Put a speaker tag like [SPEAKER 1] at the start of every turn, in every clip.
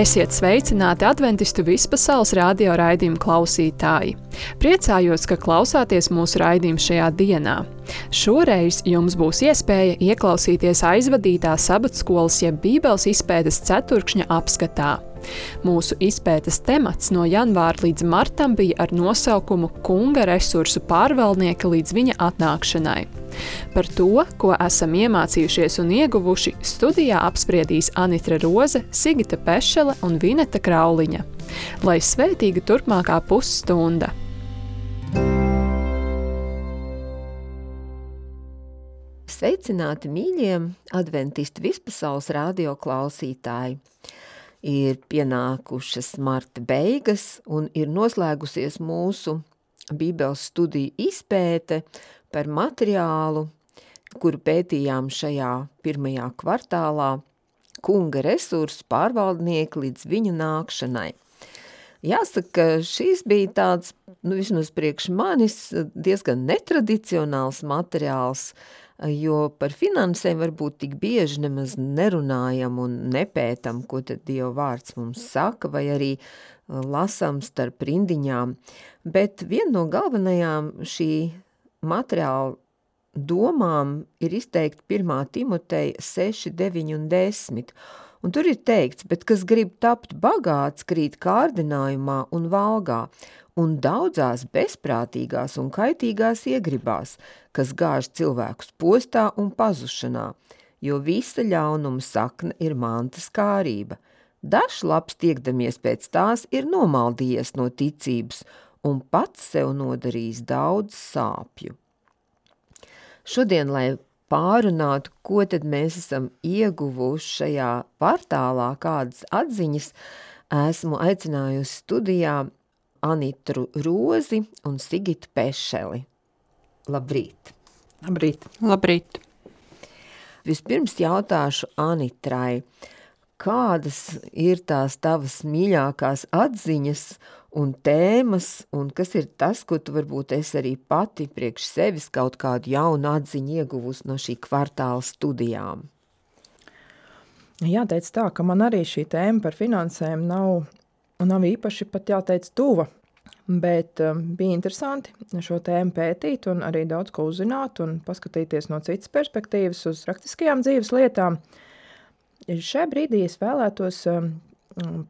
[SPEAKER 1] Esiet sveicināti Adventistu vispasaules radio raidījumu klausītāji. Priecājos, ka klausāties mūsu raidījumu šajā dienā. Šoreiz jums būs iespēja ieklausīties aizvadītā sabatskolas jeb Bībeles izpētes ceturkšņa apskatā. Mūsu izpētes temats no janvāra līdz martam bija ar nosaukumu Kunga resursu pārvaldnieka līdz viņa atnākšanai. Par to, ko esam iemācījušies un ieguvuši, studijā apspriedīs Anitra Roze, Sigita Pešele un Vineta Krauliņa. Lai svētīga turpmākā pusstunda!
[SPEAKER 2] Sveicināti mīļiem Adventistu vispasaules radio klausītāji! Ir pienākušas marta beigas un ir noslēgusies mūsu Bībeles studiju izpēte par materiālu, kuru pētījām šajā pirmajā kvartālā, Kunga resursu pārvaldnieki līdz viņa nākšanai. Jāsaka, šīs bija tāds, vismaz priekš manis, diezgan netradicionāls materiāls, jo par finansēm varbūt tik bieži nemaz nerunājam un nepētam, ko tad Dieva vārds mums saka, vai arī lasam starp rindiņām. Bet viena no galvenajām šī materiāla domām ir izteikti 1. Timoteja 6, 9 un 10. Un tur ir teikts, bet kas grib tapt bagāts, krīt kārdinājumā un valgā, un daudzās bezprātīgās un kaitīgās iegribās, kas gāž cilvēkus postā un pazušanā, jo visa ļaunuma sakne ir mantas kārība. Dažs labs tiekdamies pēc tās ir nomaldījies no ticības un pats sev nodarījis daudz sāpju. Šodien, lai pārunātu, ko tad mēs esam ieguvuši šajā kvartālā, kādas atziņas, esmu aicinājusi studijā Anitru Rozi un Sigitu Pešeli. Labrīt!
[SPEAKER 3] Labrīt!
[SPEAKER 1] Labrīt!
[SPEAKER 2] Vispirms jautāšu Anitrai, kādas ir tās tavas mīļākās atziņas un tēmas, un kas ir tas, ko tu varbūt esi arī pati priekš sevis kaut kādu jaunu atziņu ieguvusi no šī kvartāla studijām?
[SPEAKER 3] Jāteic tā, ka man arī šī tēma par finansēm nav īpaši pat jāteic tuva, bet bija interesanti šo tēmu pētīt un arī daudz ko uzzināt un paskatīties no citas perspektīvas uz praktiskajām dzīves lietām. Šajā brīdī es vēlētos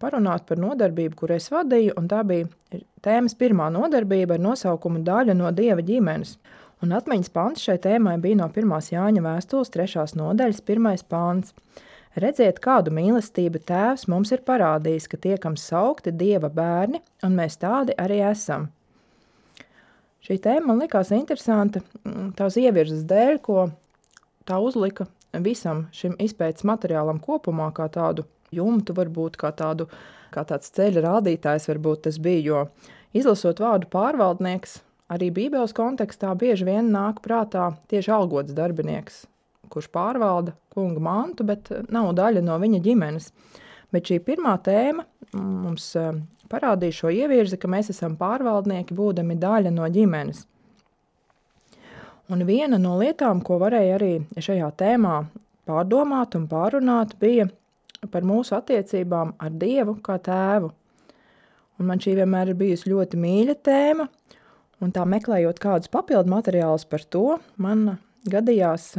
[SPEAKER 3] parunāt par nodarbību, kur es vadīju, un tā bija tēmas pirmā nodarbība ar nosaukumu Daļa no Dieva ģimenes. Un atmiņas pants šai tēmai bija no 1. Jāņa vēstules 3. nodaļas 1. pants. Redziet, kādu mīlestību Tēvs mums ir parādījis, ka tiekam saukti Dieva bērni, un mēs tādi arī esam. Šī tēma man likās interesanta tās ievirzes dēļ, ko tā uzlika visam šim izpētes materiālam kopumā, kā tādu jumtu varbūt, kā tāds ceļa rādītājs varbūt tas bija, jo izlasot vārdu pārvaldnieks, arī Bībeles kontekstā bieži vien nāk prātā tieši algots darbinieks, kurš pārvalda kunga mantu, bet nav daļa no viņa ģimenes. Bet šī pirmā tēma mums parādīja šo ievirzi, ka mēs esam pārvaldnieki, būdami daļa no ģimenes. Un viena no lietām, ko varēja arī šajā tēmā pārdomāt un pārunāt, bija par mūsu attiecībām ar Dievu kā tēvu. Un man šī vienmēr ir bijusi ļoti mīļa tēma, un tā meklējot kādus papildu materiālus par to, man gadījās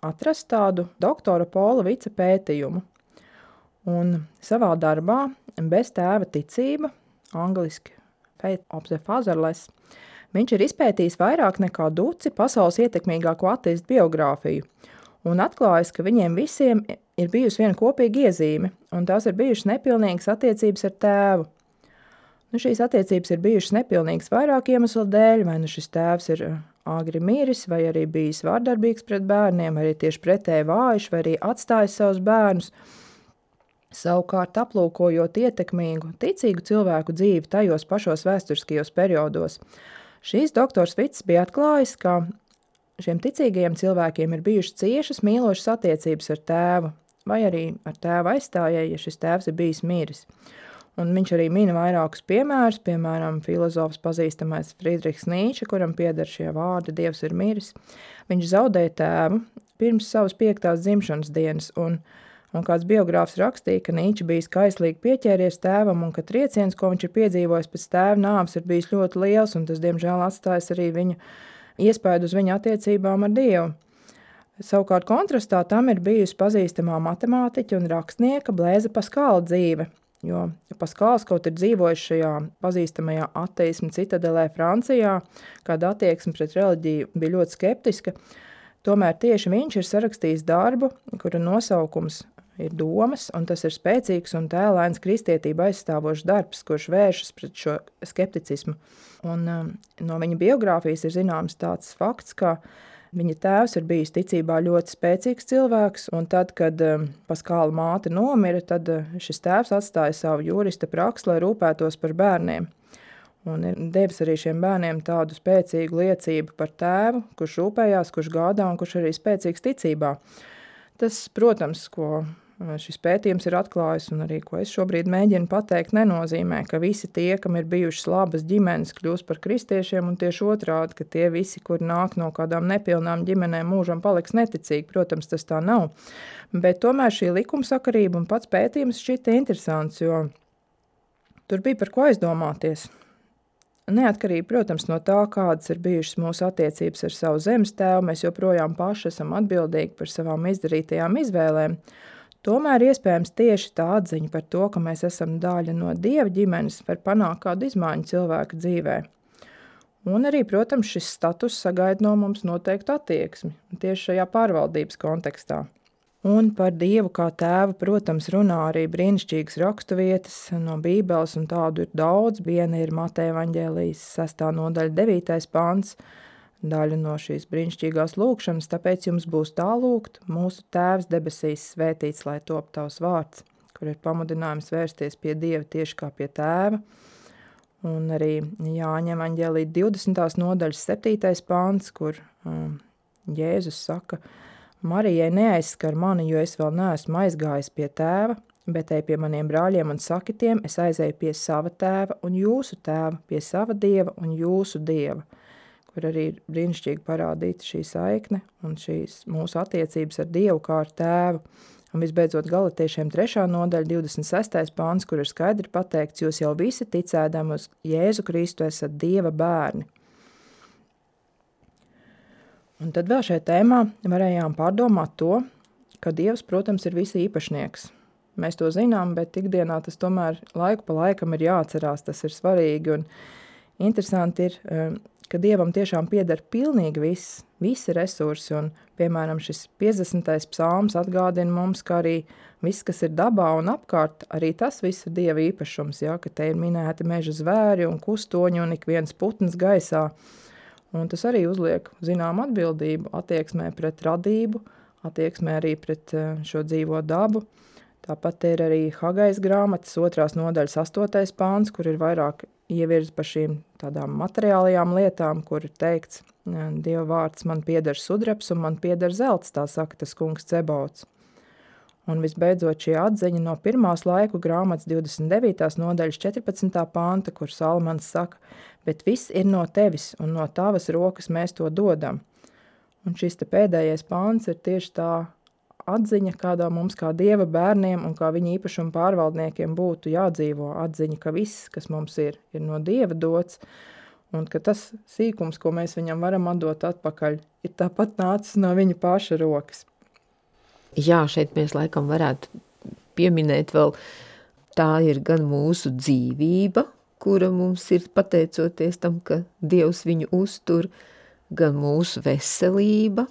[SPEAKER 3] atrast tādu doktora Pola Vica pētījumu. Un savā darbā Bez tēva ticība, angliski Faith of the Fatherless, viņš ir izpētījis vairāk nekā duci pasaules ietekmīgāko ateistu biogrāfiju un atklājis, ka viņiem visiem ir bijusi viena kopīga iezīme, un tās ir bijušas nepilnīgas attiecības ar tēvu. Šīs attiecības ir bijušas nepilnīgas vairāk iemeslu dēļ, vai šis tēvs ir āgri miris, vai arī bijis vārdarbīgs pret bērniem, vai arī tieši pretēji vājš, vai arī atstājis savus bērnus. Savukārt aplūkojot ietekmīgu, ticīgu cilvēku dzīvi tajos pašos vēsturiskajos periodos, šīs doktors Vits bija atklājis, ka šiem ticīgajiem cilvēkiem ir bijušas ciešas mīlošas attiecības ar tēvu, vai arī ar tēva aizstājēju, ja šis tēvs ir bijis miris. Un viņš arī mina vairākus piemērus, piemēram, filozofs pazīstamais Friedrichs Nīče, kuram pieder šie vārdi Dievs ir miris. Viņš zaudēja tēvu pirms savas 5. dzimšanas dienas, un Un kāds biogrāfs rakstīja, ka Nīče bija kaislīgi pieķēries tēvam un ka trieciens, ko viņš ir piedzīvojis pēc tēva nāves, ir bijis ļoti liels, un tas, diemžēl, atstājis arī viņa iespaidu uz viņa attiecībām ar Dievu. Savukārt kontrastā tam ir bijusi pazīstamā matemātiķa un rakstnieka Blēza Paskāla dzīve, jo Paskāls kaut ir dzīvojis šajā pazīstamajā ateisma citadelē Francijā, kāda attieksme pret reliģiju bija ļoti skeptiska. Tomēr tieši viņš ir sarakstījis darbu, kura nosaukums ir Domas, un tas ir spēcīgs un tēlains kristietība aizstāvošs darbs, kurš vēršas pret šo skepticismu. Un no viņa biogrāfijas ir zināms tāds fakts, ka viņa tēvs ir bijis ticībā ļoti spēcīgs cilvēks, un tad, kad Paskāla māte nomira, tad šis tēvs atstāja savu jurista praksi, lai rūpētos par bērniem. Un ir devis arī šiem bērniem tādu spēcīgu liecību par tēvu, kurš rūpējās, kurš gādā un kurš arī spēcīgs ticībā. Tas, protams, ko šis pētījums ir atklājis un arī, ko es šobrīd mēģinu pateikt, nenozīmē, ka visi tie, kam ir bijušas labas ģimenes, kļūst par kristiešiem, un tieši otrādi, ka tie visi, kuri nāk no kādām nepilnām ģimenēm, mūžam paliks neticīgi. Protams, tas tā nav. Bet tomēr šī likumsakarība un pats pētījums šķita interesants, jo tur bija par ko aizdomāties. Neatkarīgi, protams, no tā, kādas ir bijušas mūsu attiecības ar savu zemes tēvu, mēs joprojām paši esam atbildīgi par savām izdarītajām izvēlēm. Tomēr iespējams tieši tā atziņa par to, ka mēs esam daļa no Dieva ģimenes, var panākt kādu izmaiņu cilvēka dzīvē. Un arī, protams, šis status sagaida no mums noteiktu attieksmi, tieši šajā pārvaldības kontekstā. Un par Dievu kā tēvu, protams, runā arī brīnišķīgas raksturvietas no Bībeles, un tādu ir daudz. Viena ir Mateja evaņģēlijas 6. nodaļa 9. pants, daļa no šīs brīnišķīgās lūkšanas, tāpēc jums būs tā lūgt, mūsu tēvs debesīs svētīts, lai top tavs vārds, kur ir pamudinājums vērsties pie Dieva tieši kā pie tēva. Un arī Jāņa evaņģēlija 20. nodaļas 7. pants, kur Jēzus saka, Marijai neaizskar mani, jo es vēl neesmu aizgājis pie tēva, bet ej pie maniem brāļiem un sakitiem, es aizēju pie sava tēva un jūsu tēva, pie sava Dieva un jūsu Dieva, kur arī ir brīnišķīgi parādīta šī saikne un šīs mūsu attiecības ar Dievu kā ar tēvu. Un visbeidzot Galatiešiem 3. nodaļa 26. pāns, kur ir skaidri pateikts, jūs jau visi ticēdami uz Jēzu Kristu esat Dieva bērni. Un tad vēl šajā tēmā varējām pārdomāt to, ka Dievs, protams, ir visi īpašnieks. Mēs to zinām, bet ikdienā tas tomēr laiku pa laikam ir jāatcerās, tas ir svarīgi. Un interesanti ir, ka Dievam tiešām pieder pilnīgi visi resursi. Un, piemēram, šis 50. psalms atgādina mums, ka arī viss, kas ir dabā un apkārt, arī tas viss ir Dieva īpašums, ja, ka te ir minēti meža zvēri un kustoņi un ik viens putns gaisā. Un tas arī uzliek zinām atbildību attieksmē pret radību, attieksmē arī pret šo dzīvo dabu. Tāpat ir arī Hagais grāmatas 2. nodaļas 8. pāns, kur ir vairāk ievirzi par šīm tādām materiālajām lietām, kur ir teikts, Dieva vārds man pieder sudrabs un man pieder zelts, tā saka tas kungs Cebauts. Un visbeidzot šī atziņa no 1. laiku grāmatas 29. nodaļas 14. panta, kur Salmans saka, bet viss ir no tevis un no tavas rokas mēs to dodam. Un šis te pēdējais pants ir tieši tā atziņa, kādā mums kā Dieva bērniem un kā viņa īpašuma pārvaldniekiem būtu jādzīvo. Atziņa, ka viss, kas mums ir no Dieva dots, un ka tas sīkums, ko mēs viņam varam atdot atpakaļ, ir tāpat nācis no viņa paša rokas.
[SPEAKER 2] Jā, šeit mēs laikam varētu pieminēt vēl, tā ir gan mūsu dzīvība, kura mums ir pateicoties tam, ka Dievs viņu uztur, gan mūsu veselība,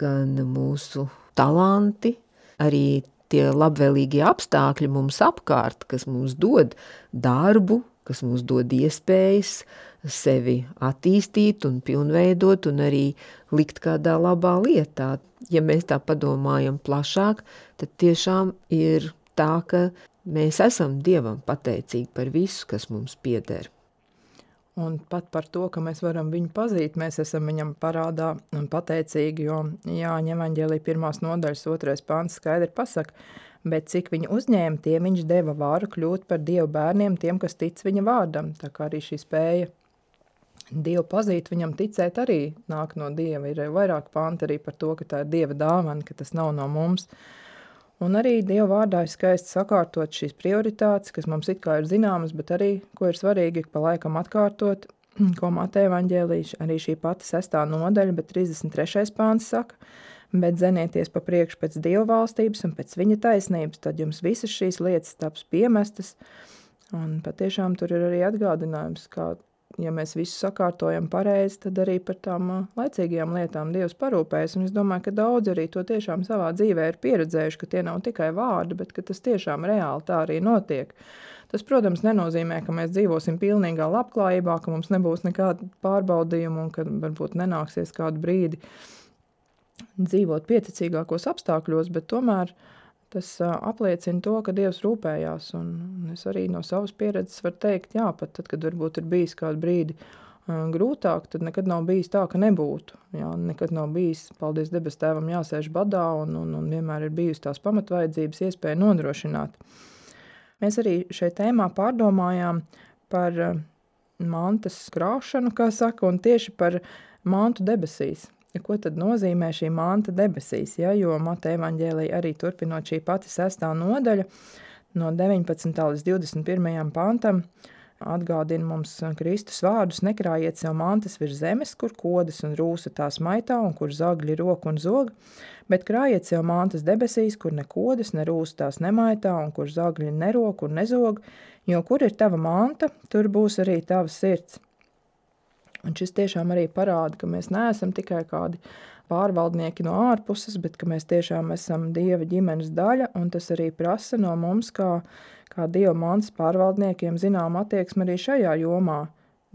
[SPEAKER 2] gan mūsu talanti, arī tie labvēlīgie apstākļi mums apkārt, kas mums dod darbu, kas mums dod iespējas sevi attīstīt un pilnveidot un arī likt kādā labā lietā. Ja mēs tā padomājam plašāk, tad tiešām ir tā, ka mēs esam Dievam pateicīgi par visu, kas mums pieder.
[SPEAKER 3] Un pat par to, ka mēs varam viņu pazīt, mēs esam viņam parādā un pateicīgi, jo Jāņa evaņģēlija 1. nodaļas 2. pāns skaidri pasaka, bet cik viņu uzņēma, tiem viņš deva vāru kļūt par Dievu bērniem, tiem, kas tic viņa vārdam. Tā kā arī šī spēja Dievu pazīt, viņam ticēt arī nāk no Dieva. Ir vairāk panti arī par to, ka tā ir Dieva dāvana, ka tas nav no mums. Un arī Dieva vārdā ir skaisti sakārtot šīs prioritātes, kas mums it kā ir zināmas, bet arī, ko ir svarīgi pa laikam atkārtot, ko Mateja evaņģēlija, arī šī pati 6. nodaļa, bet 33. pāns saka, bet zenieties pa priekšu pēc Dieva valstības un pēc viņa taisnības, tad jums visas šīs lietas taps piemestas. Un patiešām tur ir arī atgādinājums, kā ja mēs visu sakārtojam pareizi, tad arī par tām laicīgajām lietām Dievs parūpējas. Un es domāju, ka daudz arī to tiešām savā dzīvē ir pieredzējuši, ka tie nav tikai vārdi, bet ka tas tiešām reāli tā arī notiek. Tas, protams, nenozīmē, ka mēs dzīvosim pilnīgā labklājībā, ka mums nebūs nekāda pārbaudījuma un ka varbūt nenāksies kādu brīdi dzīvot pieticīgākos apstākļos, bet tomēr tas apliecina to, ka Dievs rūpējās, un es arī no savas pieredzes varu teikt, jā, pat tad, kad varbūt ir bijis kādu brīdi grūtāk, tad nekad nav bijis tā, ka nebūtu. Jā, nekad nav bijis, paldies debes tēvam, jāsēž badā, un vienmēr ir bijusi tās pamatvajadzības iespēja nodrošināt. Mēs arī šeit tēmā pārdomājām par mantas krāšanu, kā saka, un tieši par mantu debesīs. Ko tad nozīmē šī manta debesīs, ja? Jo Mateja evaņģēlija arī turpinot šī pati 6. nodaļa no 19. līdz 21. pantam atgādina mums Kristus vārdus: nekrājiet sev mantas virs zemes, kur kodas un rūsa tās maitā un kur zagļi rok un zog, bet krājiet sev mantas debesīs, kur ne kodas, ne rūsa tās nemaitā un kur zagļi nerok un nezog, jo kur ir tava manta, tur būs arī tava sirds. Un šis tiešām arī parāda, ka mēs neesam tikai kādi pārvaldnieki no ārpuses, bet ka mēs tiešām esam Dieva ģimenes daļa, un tas arī prasa no mums, kā Dieva mantas pārvaldniekiem, zinām attieksmi arī šajā jomā,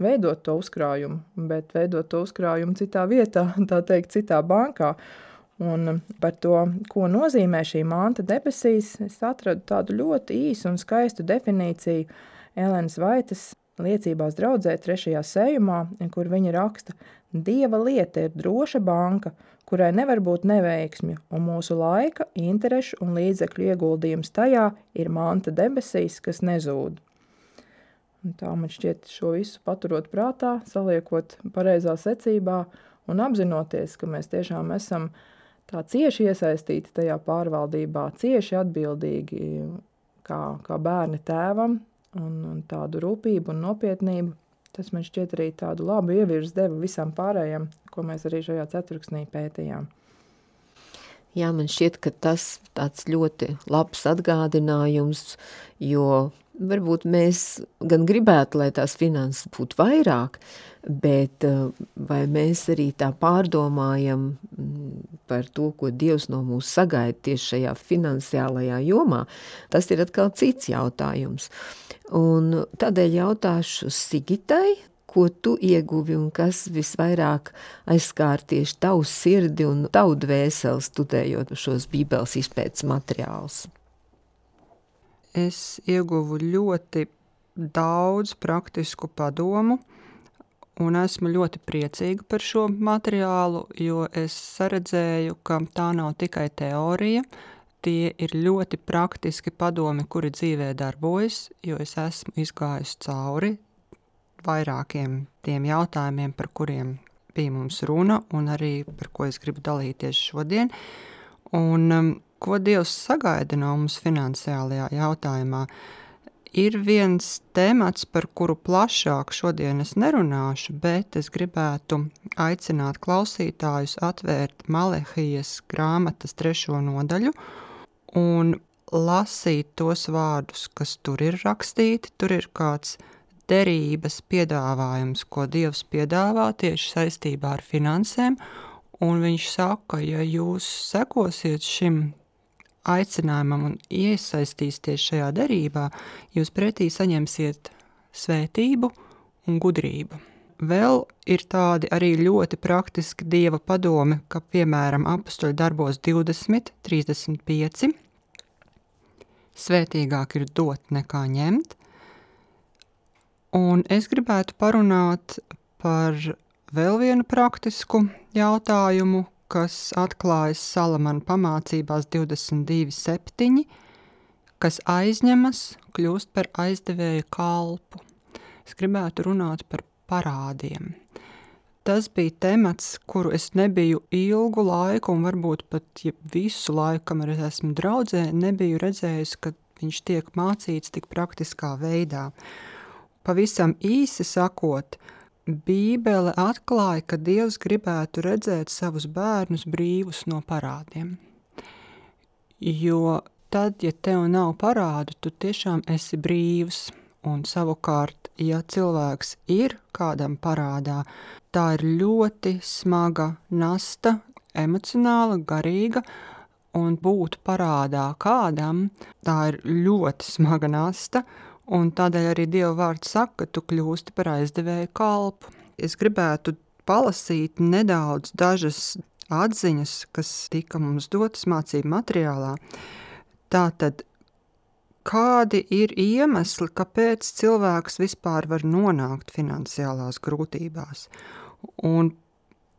[SPEAKER 3] veidot to uzkrājumu, bet veidot to uzkrājumu citā vietā, tā teikt, citā bankā. Un par to, ko nozīmē šī manta debesīs, es atradu tādu ļoti īsu un skaistu definīciju Elenas Vaitas liecībās draudzē 3. sējumā, kur viņa raksta: Dieva lieta ir droša banka, kurai nevar būt neveiksmju, un mūsu laika, interešu un līdzekļu ieguldījums tajā ir manta debesīs, kas nezūd. Un tā man šķiet šo visu paturot prātā, saliekot pareizā secībā un apzinoties, ka mēs tiešām esam tā cieši iesaistīti tajā pārvaldībā, cieši atbildīgi kā bērni tēvam, un tādu rūpību un nopietnību, tas man šķiet arī tādu labu ievirzi deva visam pārējiem, ko mēs arī šajā ceturksnī pētījām.
[SPEAKER 2] Jā, man šķiet, ka tas tāds ļoti labs atgādinājums, jo varbūt mēs gan gribētu, lai tās finanses būtu vairāk, bet vai mēs arī tā pārdomājam par to, ko Dievs no mūs sagaida tieši šajā finansiālajā jomā, tas ir atkal cits jautājums. Un tādēļ jautāšu Sigitai, ko tu ieguvi un kas visvairāk aizskār tieši tavu sirdi un tavu dvēseli studējot šos Bībeles izpētes materiālus?
[SPEAKER 4] Es ieguvu ļoti daudz praktisku padomu un esmu ļoti priecīga par šo materiālu, jo es saredzēju, ka tā nav tikai teorija, tie ir ļoti praktiski padomi, kuri dzīvē darbojas, jo es esmu izgājusi cauri vairākiem tiem jautājumiem, par kuriem bija mums runa, un arī par ko es gribu dalīties šodien. Un ko Dievs sagaida no mums finansiālajā jautājumā? Ir viens temats, par kuru plašāk šodien es nerunāšu, bet es gribētu aicināt klausītājus atvērt Malehijas grāmatas 3. nodaļu un lasīt tos vārdus, kas tur ir rakstīti. Tur ir kāds derības piedāvājums, ko Dievs piedāvā tieši saistībā ar finansēm, un viņš saka, ja jūs sekosiet šim aicinājumam un iesaistīsieties šajā derībā, jūs pretī saņemsiet svētību un gudrību. Vēl ir tādi arī ļoti praktiski Dieva padomi, ka, piemēram, Apostoļu darbos 20:35, svētīgāk ir dot nekā ņemt. Un es gribētu parunāt par vēl vienu praktisku jautājumu, kas atklājas Salamana pamācībās 22:7, kas aizņemas, kļūst par aizdevēja kalpu. Es gribētu runāt par parādiem. tas bija temats, kuru es nebiju ilgu laiku un varbūt pat visu laiku, kamēr es esmu draudzē, nebiju redzējusi, ka viņš tiek mācīts tik praktiskā veidā. Pavisam īsi sakot, Bībele atklāja, ka Dievs gribētu redzēt savus bērnus brīvus no parādiem. Jo tad, ja tev nav parādu, tu tiešām esi brīvs. Un savukārt, ja cilvēks ir kādam parādā, tā ir ļoti smaga nasta, emocionāla, garīga, un būt parādā kādam, tā ir ļoti smaga nasta, un tādēļ arī Dieva vārds saka, ka tu kļūsti par aizdevēju kalpu. Es gribētu palasīt nedaudz dažas atziņas, kas tika mums dotas mācību materiālā. Tātad, kādi ir iemesli, kāpēc cilvēks vispār var nonākt finansiālās grūtībās? Un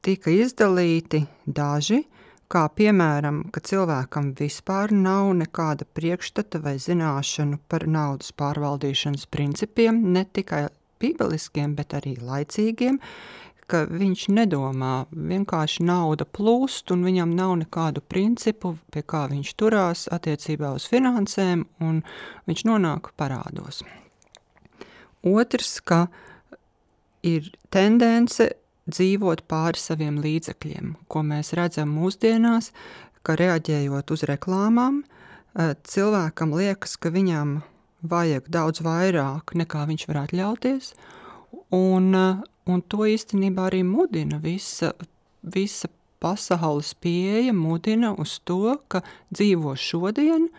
[SPEAKER 4] tika izdalīti daži, kā piemēram, ka cilvēkam vispār nav nekāda priekšstata vai zināšanu par naudas pārvaldīšanas principiem, ne tikai bībeliskiem, bet arī laicīgiem, ka viņš nedomā, vienkārši nauda plūst un viņam nav nekādu principu, pie kā viņš turās attiecībā uz finansēm, un viņš nonāk parādos. Otrs, ka ir tendence dzīvot pāri saviem līdzekļiem, ko mēs redzam mūsdienās, ka reaģējot uz reklāmām, cilvēkam liekas, ka viņam vajag daudz vairāk, nekā viņš var atļauties, un to īstenībā arī mudina visa pasaules pieeja mudina uz to, ka dzīvo šodien,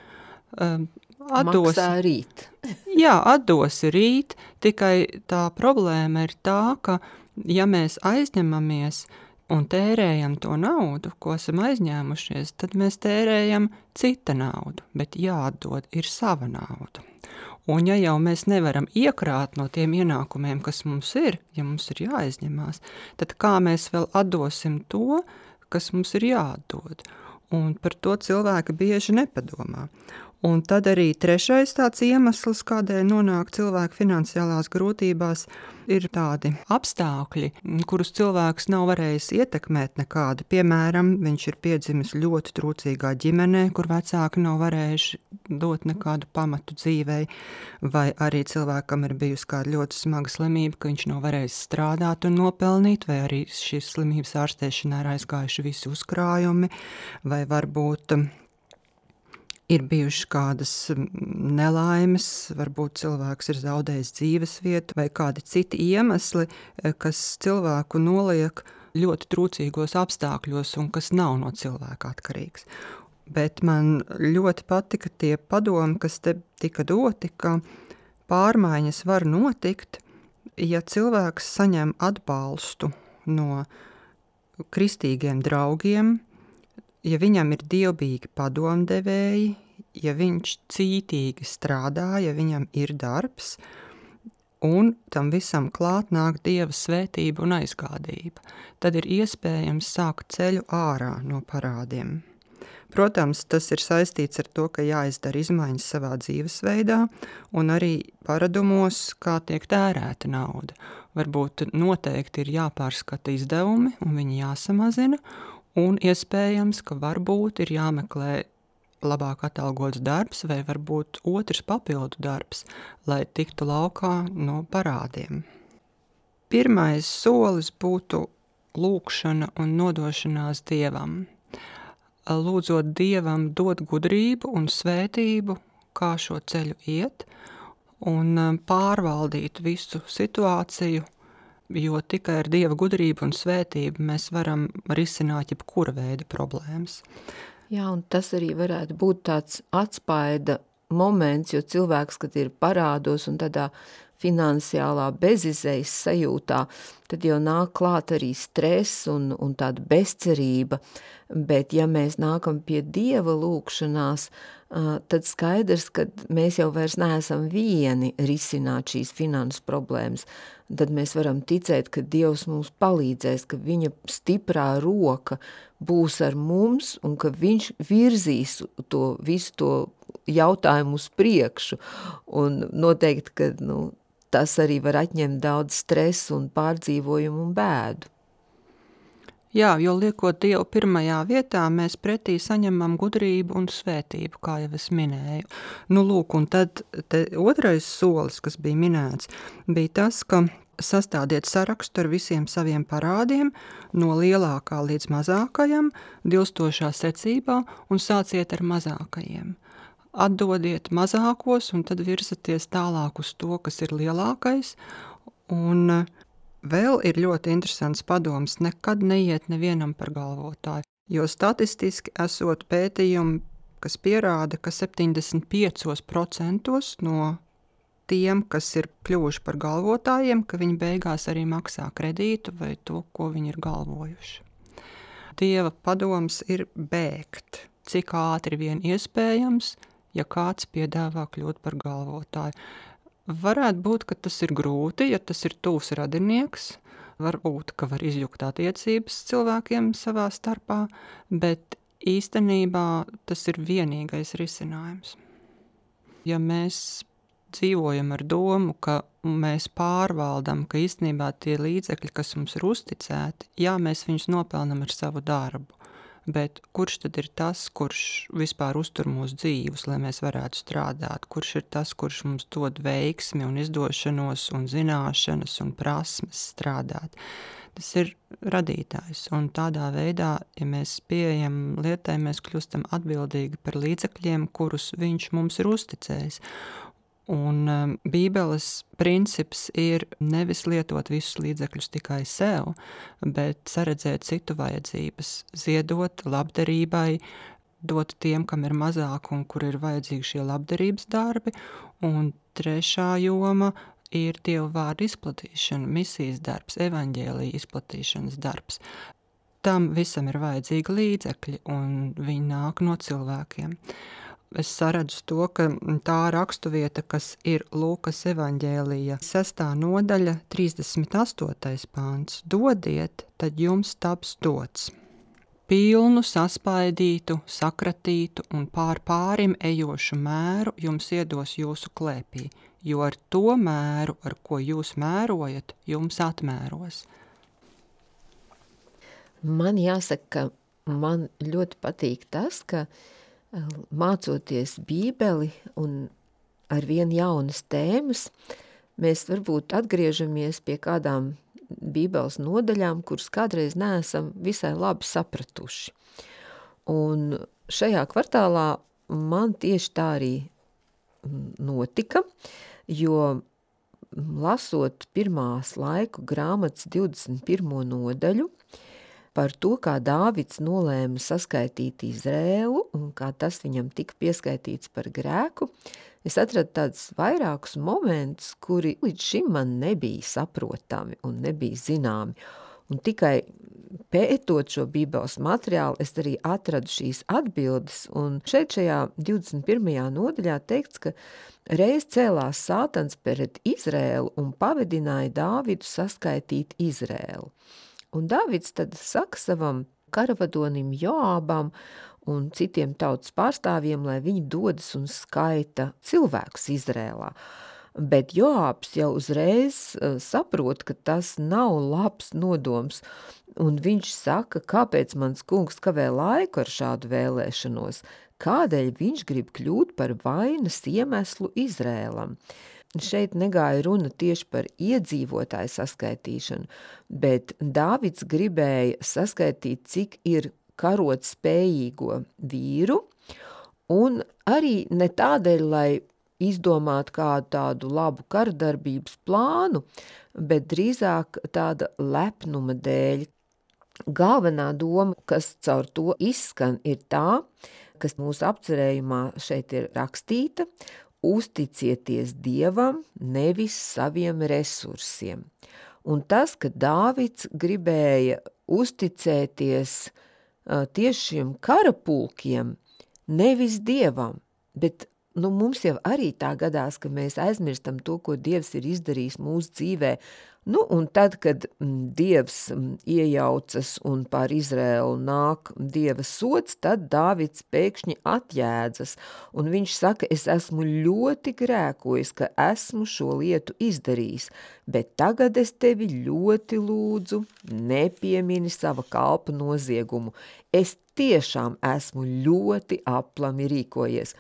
[SPEAKER 2] maksā rīt.
[SPEAKER 4] Jā, atdosi rīt, tikai tā problēma ir tā, ka ja mēs aizņemamies un tērējam to naudu, ko esam aizņēmušies, tad mēs tērējam cita naudu, bet jāatdod ir sava nauda. Un ja jau mēs nevaram iekrāt no tiem ienākumiem, kas mums ir, ja mums ir jāaizņemās, tad kā mēs vēl atdosim to, kas mums ir jāatdod? Un par to cilvēki bieži nepadomā. Un tad arī trešais tāds iemesls, kādēļ nonāk cilvēki finansiālās grūtībās, ir tādi apstākļi, kurus cilvēks nav varējis ietekmēt nekādi. Piemēram, viņš ir piedzimis ļoti trūcīgā ģimenē, kur vecāki nav varējuši dot nekādu pamatu dzīvei, vai arī cilvēkam ir bijusi kāda ļoti smaga slimība, ka viņš nav varējis strādāt un nopelnīt, vai arī šīs slimības ārstēšanā ir aizgājuši visi uzkrājumi, vai varbūt ir bijušas kādas nelaimes, varbūt cilvēks ir zaudējis dzīves vietu vai kādi citi iemesli, kas cilvēku noliek ļoti trūcīgos apstākļos un kas nav no cilvēka atkarīgs. Bet man ļoti patika tie padomi, kas te tika doti, ka pārmaiņas var notikt, ja cilvēks saņem atbalstu no kristīgiem draugiem, ja viņam ir dievbijīgi padomdevēji, ja viņš cītīgi strādā, ja viņam ir darbs, un tam visam klāt nāk Dieva svētība un aizgādība, tad ir iespējams sākt ceļu ārā no parādiem. Protams, tas ir saistīts ar to, ka jāizdara izmaiņas savā dzīvesveidā un arī paradumos, kā tiek tērēta nauda. Varbūt noteikti ir jāpārskata izdevumi un viņi jāsamazina, un iespējams, ka varbūt ir jāmeklē labāk atalgots darbs vai varbūt otrs papildu darbs, lai tiktu laukā no parādiem. Pirmais solis būtu lūgšana un nodošanās Dievam. Lūdzot Dievam dot gudrību un svētību, kā šo ceļu iet, un pārvaldīt visu situāciju, jo tikai ar Dieva gudrību un svētību mēs varam risināt jebkura veida problēmas.
[SPEAKER 2] Jā, un tas arī varētu būt tāds atspaida moments, jo cilvēks, kad ir parādos un tādā finansiālā bezizejas sajūtā, tad jau nāk klāt arī stress un tāda bezcerība, bet ja mēs nākam pie Dieva lūgšanās, tad skaidrs, ka mēs jau vairs neesam vieni risināt šīs finanses problēmas, tad mēs varam ticēt, ka Dievs mums palīdzēs, ka viņa stiprā roka būs ar mums un ka viņš virzīs to visu to jautājumu uz priekšu. Un noteikti, ka tas arī var atņemt daudz stresu un pārdzīvojumu un bēdu.
[SPEAKER 4] Jā, jo liekot Dievu pirmajā vietā, mēs pretī saņemam gudrību un svētību, kā jau es minēju. Nu, lūk, un tad otrais solis, kas bija minēts, bija tas, ka sastādiet sarakstu ar visiem saviem parādiem, no lielākā līdz mazākajam, dilstošā secībā, un sāciet ar mazākajiem. Atdodiet mazākos, un tad virzaties tālāk uz to, kas ir lielākais, un vēl ir ļoti interesants padoms, nekad neiet nevienam par galvotāju, jo statistiski esot pētījumi, kas pierāda, ka 75% no tiem, kas ir kļuvuši par galvotājiem, ka viņi beigās arī maksā kredītu vai to, ko viņi ir galvojuši. Dieva padoms ir bēgt, cik ātri vien iespējams, ja kāds piedāvā kļūt par galvotāju. Varētu būt, ka tas ir grūti, ja tas ir tuvs radinieks, varbūt, ka var izjukt attiecības cilvēkiem savā starpā, bet īstenībā tas ir vienīgais risinājums. Ja mēs dzīvojam ar domu, ka mēs pārvaldam, ka īstenībā tie līdzekļi, kas mums ir uzticēti, jā, mēs viņus nopelnam ar savu darbu, bet kurš tad ir tas, kurš vispār uztur mūsu dzīvus, lai mēs varētu strādāt? Kurš ir tas, kurš mums dod veiksmi un izdošanos un zināšanas un prasmes strādāt? Tas ir radītājs, un tādā veidā, ja mēs pieejam lietai, mēs kļūstam atbildīgi par līdzekļiem, kurus viņš mums ir uzticējis. Un Bībeles princips ir nevis lietot visus līdzekļus tikai sev, bet saredzēt citu vajadzības, ziedot labdarībai, dot tiem, kam ir mazāk un kur ir vajadzīgi šie labdarības darbi. Un trešā joma ir Dieva vārdu izplatīšana, misijas darbs, evaņģēlija izplatīšanas darbs. Tam visam ir vajadzīgi līdzekļi, un viņi nāk no cilvēkiem. Es saredzu to, ka tā rakstuvieta, kas ir Lūkas evaņģēlija 6. nodaļa, 38. pāns. Dodiet, tad jums taps dots. Pilnu, saspaidītu, sakratītu un pārim ejošu mēru jums iedos jūsu klēpī, jo ar to mēru, ar ko jūs mērojat, jums atmēros.
[SPEAKER 2] Man jāsaka, ka man ļoti patīk tas, ka mācoties Bībeli un ar vien jaunas tēmas, mēs varbūt atgriežamies pie kādām Bībeles nodaļām, kuras kādreiz neesam visai labi sapratuši. Un šajā kvartālā man tieši tā arī notika, jo lasot pirmās laiku grāmatas 21. nodaļu, par to, kā Dāvids nolēma saskaitīt Izrēlu un kā tas viņam tika pieskaitīts par grēku, es atradu tādus vairākus momentus, kuri līdz šim man nebija saprotami un nebija zināmi. Un tikai pētot šo Bībeles materiālu, es arī atradu šīs atbildes, un šajā 21. nodaļā teikts, ka reiz cēlās Sātans pret Izrēlu un pavedināja Dāvidu saskaitīt Izrēlu. Un Dāvids tad saka savam karavadonim Joābam un citiem tautas pārstāvjiem, lai viņi dodas un skaita cilvēkus Izrēlā. Bet Joābs jau uzreiz saprot, ka tas nav labs nodoms, un viņš saka, kāpēc mans kungs kavē laiku ar šādu vēlēšanos, kādēļ viņš grib kļūt par vainas iemeslu Izrēlam. Šeit negāja runa tieši par iedzīvotāju saskaitīšanu, bet Dāvids gribēja saskaitīt, cik ir karot spējīgo vīru, un arī ne tādēļ, lai izdomātu kādu tādu labu karadarbības plānu, bet drīzāk tāda lepnuma dēļ. Galvenā doma, kas caur to izskan, ir tā, kas mūsu apcerējumā šeit ir rakstīta: uzticieties Dievam, nevis saviem resursiem. Un tas, ka Dāvids gribēja uzticēties tieši šiem karapulkiem, nevis Dievam, bet mums jau arī tā gadās, ka mēs aizmirstam to, ko Dievs ir izdarījis mūsu dzīvē Nu, un tad, kad Dievs iejaucas un pār Izraēlu nāk Dieva sods, tad Dāvids pēkšņi atjēdzas, un viņš saka, es esmu ļoti grēkojis, ka esmu šo lietu izdarījis, bet tagad es tevi ļoti lūdzu, nepiemini sava kalpa noziegumu. Es tiešām esmu ļoti aplami rīkojies.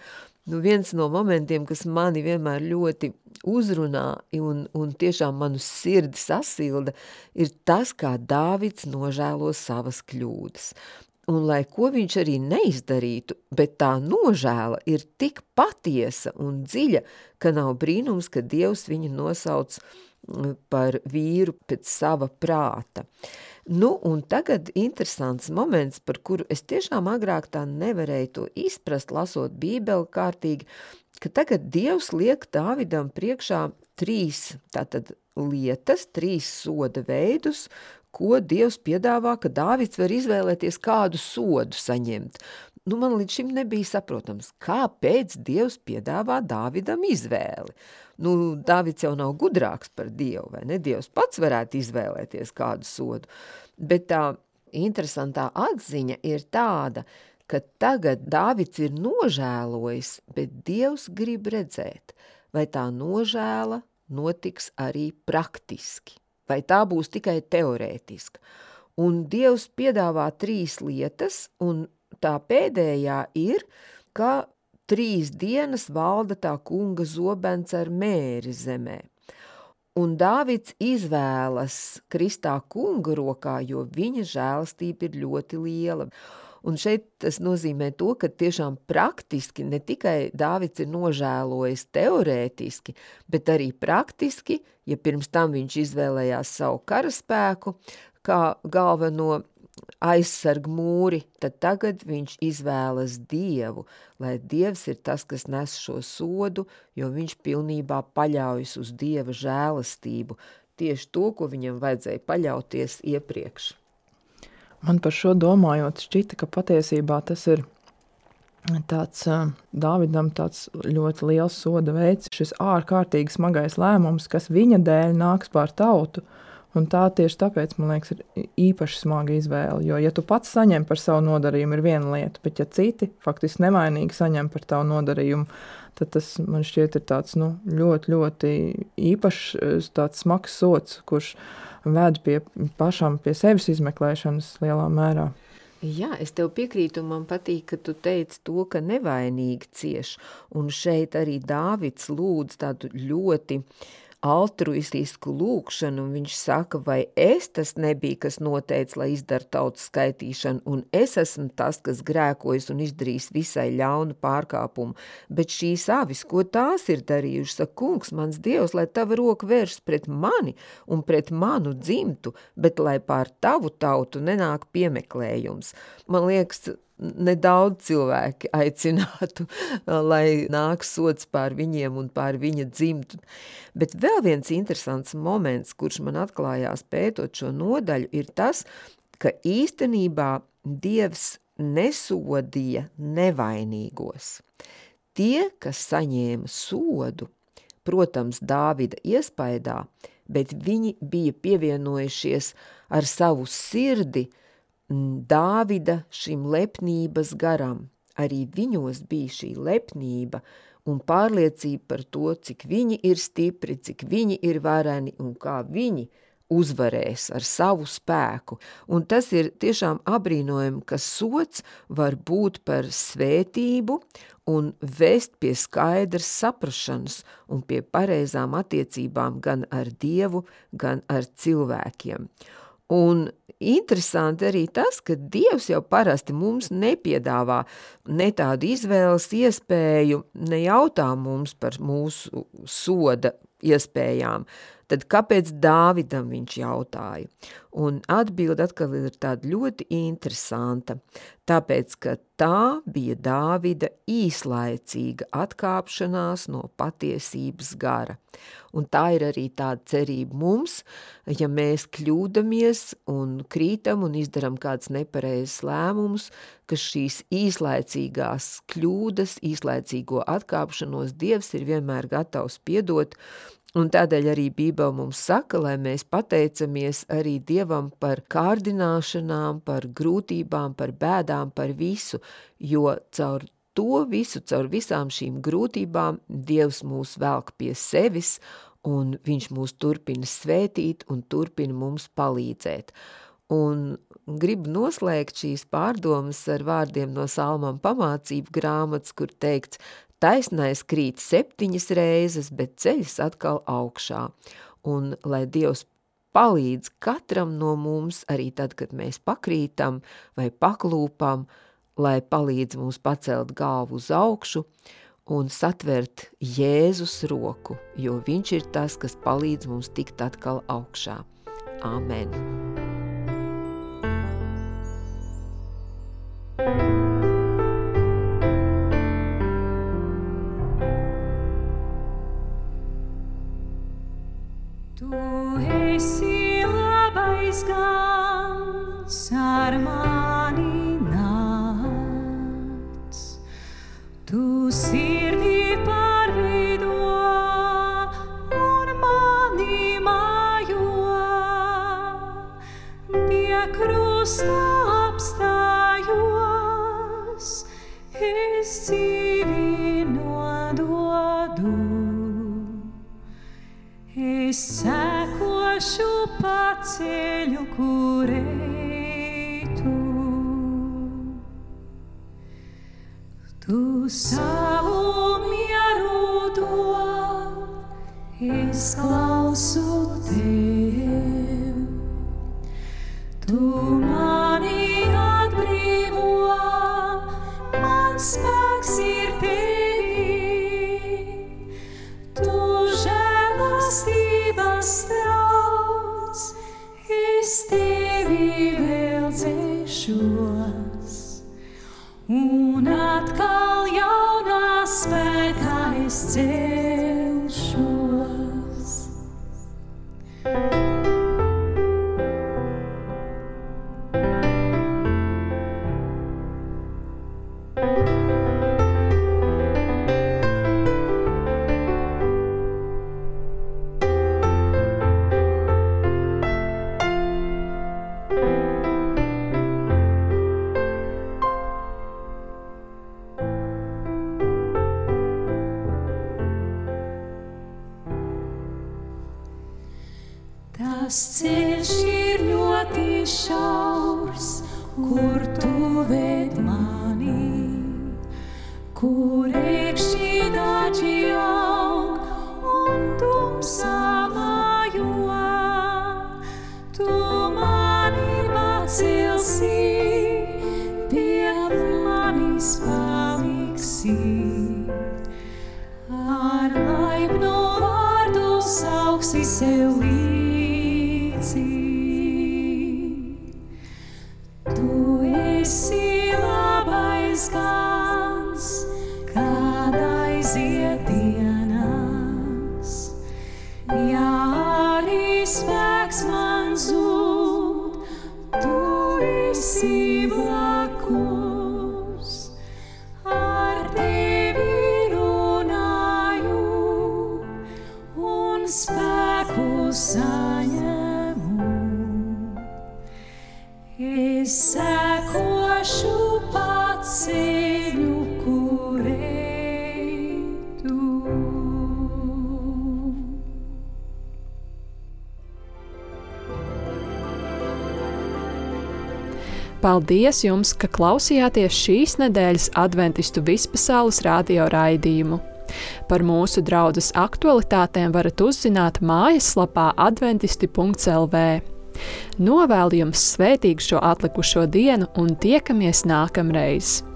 [SPEAKER 2] Nu, viens no momentiem, kas mani vienmēr ļoti uzrunā un tiešām manu sirdi sasilda, ir tas, kā Dāvids nožēlo savas kļūdas. Un lai ko viņš arī neizdarītu, bet tā nožēla ir tik patiesa un dziļa, ka nav brīnums, ka Dievs viņu nosauc par vīru pēc sava prāta. Nu, un tagad interesants moments, par kuru es tiešām agrāk tā nevarēju to izprast, lasot Bībeli kārtīgi, ka tagad Dievs liek Dāvidam priekšā 3 tātad lietas, 3 soda veidus, ko Dievs piedāvā, ka Dāvids var izvēlēties kādu sodu saņemt. Nu, man līdz šim nebija saprotams, kāpēc Dievs piedāvā Dāvidam izvēli. Nu, Dāvids jau nav gudrāks par Dievu, vai ne? Dievs pats varētu izvēlēties kādu sodu. Bet tā interesantā atziņa ir tāda, ka tagad Dāvids ir nožēlojis, bet Dievs grib redzēt, vai tā nožēla notiks arī praktiski, vai tā būs tikai teorētiska. Un Dievs piedāvā 3 lietas, un tā pēdējā ir, ka 3 dienas valda tā kunga zobens ar mēri zemē. Un Dāvids izvēlas kristā kunga rokā, jo viņa žēlastība ir ļoti liela. Un šeit tas nozīmē to, ka tiešām praktiski ne tikai Dāvids ir nožēlojis teorētiski, bet arī praktiski, ja pirms tam viņš izvēlējās savu karaspēku kā galveno aizsarg mūri, tad tagad viņš izvēlas Dievu, lai Dievs ir tas, kas nes šo sodu, jo viņš pilnībā paļaujas uz Dieva žēlastību, tieši to, ko viņam vajadzēja paļauties iepriekš.
[SPEAKER 3] Man par šo domājot šķita, ka patiesībā tas ir tāds Dāvidam tāds ļoti liels soda veids, šis ārkārtīgi smagais lēmums, kas viņa dēļ nāks pār tautu. Un tā tieši tāpēc, man liekas, ir īpaši smaga izvēle, jo, ja tu pats saņem par savu nodarījumu, ir viena lieta, bet ja citi faktiski nevainīgi saņem par tavu nodarījumu, tad tas, man šķiet, ir tāds, ļoti, ļoti īpašs tāds smags sods, kurš ved pašam pie sevis izmeklēšanas lielā mērā.
[SPEAKER 2] Jā, es tev piekrītu, man patīk, ka tu teici to, ka nevainīgi cieš, un šeit arī Dāvids lūdz tādu ļoti altruistisku lūkšanu, un viņš saka, vai es tas nebija, kas noteica, lai izdara tautas skaitīšanu, un es esmu tas, kas grēkojas un izdarīs visai ļaunu pārkāpumu, bet šīs avis, ko tās ir darījuši, saka, kungs, mans Dievs, lai tava roka vērš pret mani un pret manu dzimtu, bet lai pār tavu tautu nenāk piemeklējums. Man liekas, nedaudz cilvēki aicinātu, lai nāk sods pār viņiem un pār viņa dzimtu. Bet vēl viens interesants moments, kurš man atklājās pētot šo nodaļu, ir tas, ka īstenībā Dievs nesodīja nevainīgos. Tie, kas saņēma sodu, protams, Dāvida iespaidā, bet viņi bija pievienojušies ar savu sirdi Dāvida šim lepnības garam. Arī viņos bija šī lepnība un pārliecība par to, cik viņi ir stipri, cik viņi ir vareni un kā viņi uzvarēs ar savu spēku. Un tas ir tiešām abrīnojami, ka sods var būt par svētību un vest pie skaidras saprašanas un pie pareizām attiecībām gan ar Dievu, gan ar cilvēkiem. Un interesanti arī tas, ka Dievs jau parasti mums nepiedāvā ne tādu izvēles iespēju, nejautā mums par mūsu soda iespējām. Tad kāpēc Dāvidam viņš jautāja? Un atbilde atkal ir tāda ļoti interesanta, tāpēc, ka tā bija Dāvida īslaicīga atkāpšanās no patiesības gara. Un tā ir arī tāda cerība mums, ja mēs kļūdamies un krītam un izdaram kāds nepareizs lēmums, ka šīs īslaicīgās kļūdas, īslaicīgo atkāpšanos Dievs ir vienmēr gatavs piedot Un tādēļ arī Bībele mums saka, lai mēs pateicamies arī Dievam par kārdināšanām, par grūtībām, par bēdām, par visu, jo caur to visu, caur visām šīm grūtībām Dievs mūs velk pie sevis, un viņš mūs turpina svētīt un turpina mums palīdzēt. Un gribu noslēgt šīs pārdomas ar vārdiem no Salmam pamācību grāmatas, kur teikts, taisnais krīt 7 reizes, bet ceļas atkal augšā. Un lai Dievs palīdz katram no mums, arī tad, kad mēs pakrītam vai paklūpam, lai palīdz mums pacelt galvu uz augšu un satvert Jēzus roku, jo viņš ir tas, kas palīdz mums tikt atkal augšā. Amen.
[SPEAKER 5] Gans ar mani nāc, tu sirdī pārveido un mani mājo, pie krusta apstājos, es dzīvi nododu, es sekošu pa ceļu, kur eitu. Tu savu mieru dod, es klausu tev. Tu mani atbrīvo, mans spēks ir tevī. Tu žēlastības trauc, es tevi vēl dzēšos, un atkal jaunā spēkā es celšos. Tas ceļš ir ļoti šaurs, kur tu ved mani, kur iekšķi daži aug un tumsā mājo. Tu mani pacelsi, pie manis paliksi, ar laipnu vārdu sauksi sev līdzi. Tu esi labais gans, kad aiziet dienas, ja arī spēks man zūd, tu esi blakus, ar tevi runāju un spēku saņemu. Es sekošu pa ceļu, kur eitu.
[SPEAKER 1] Paldies jums, ka klausījāties šīs nedēļas Adventistu vispasaules radio raidījumu. Par mūsu draudzes aktualitātēm varat uzzināt mājaslapā adventisti.lv. Novēlu jums svētīgu šo atlikušo dienu un tiekamies nākamreiz!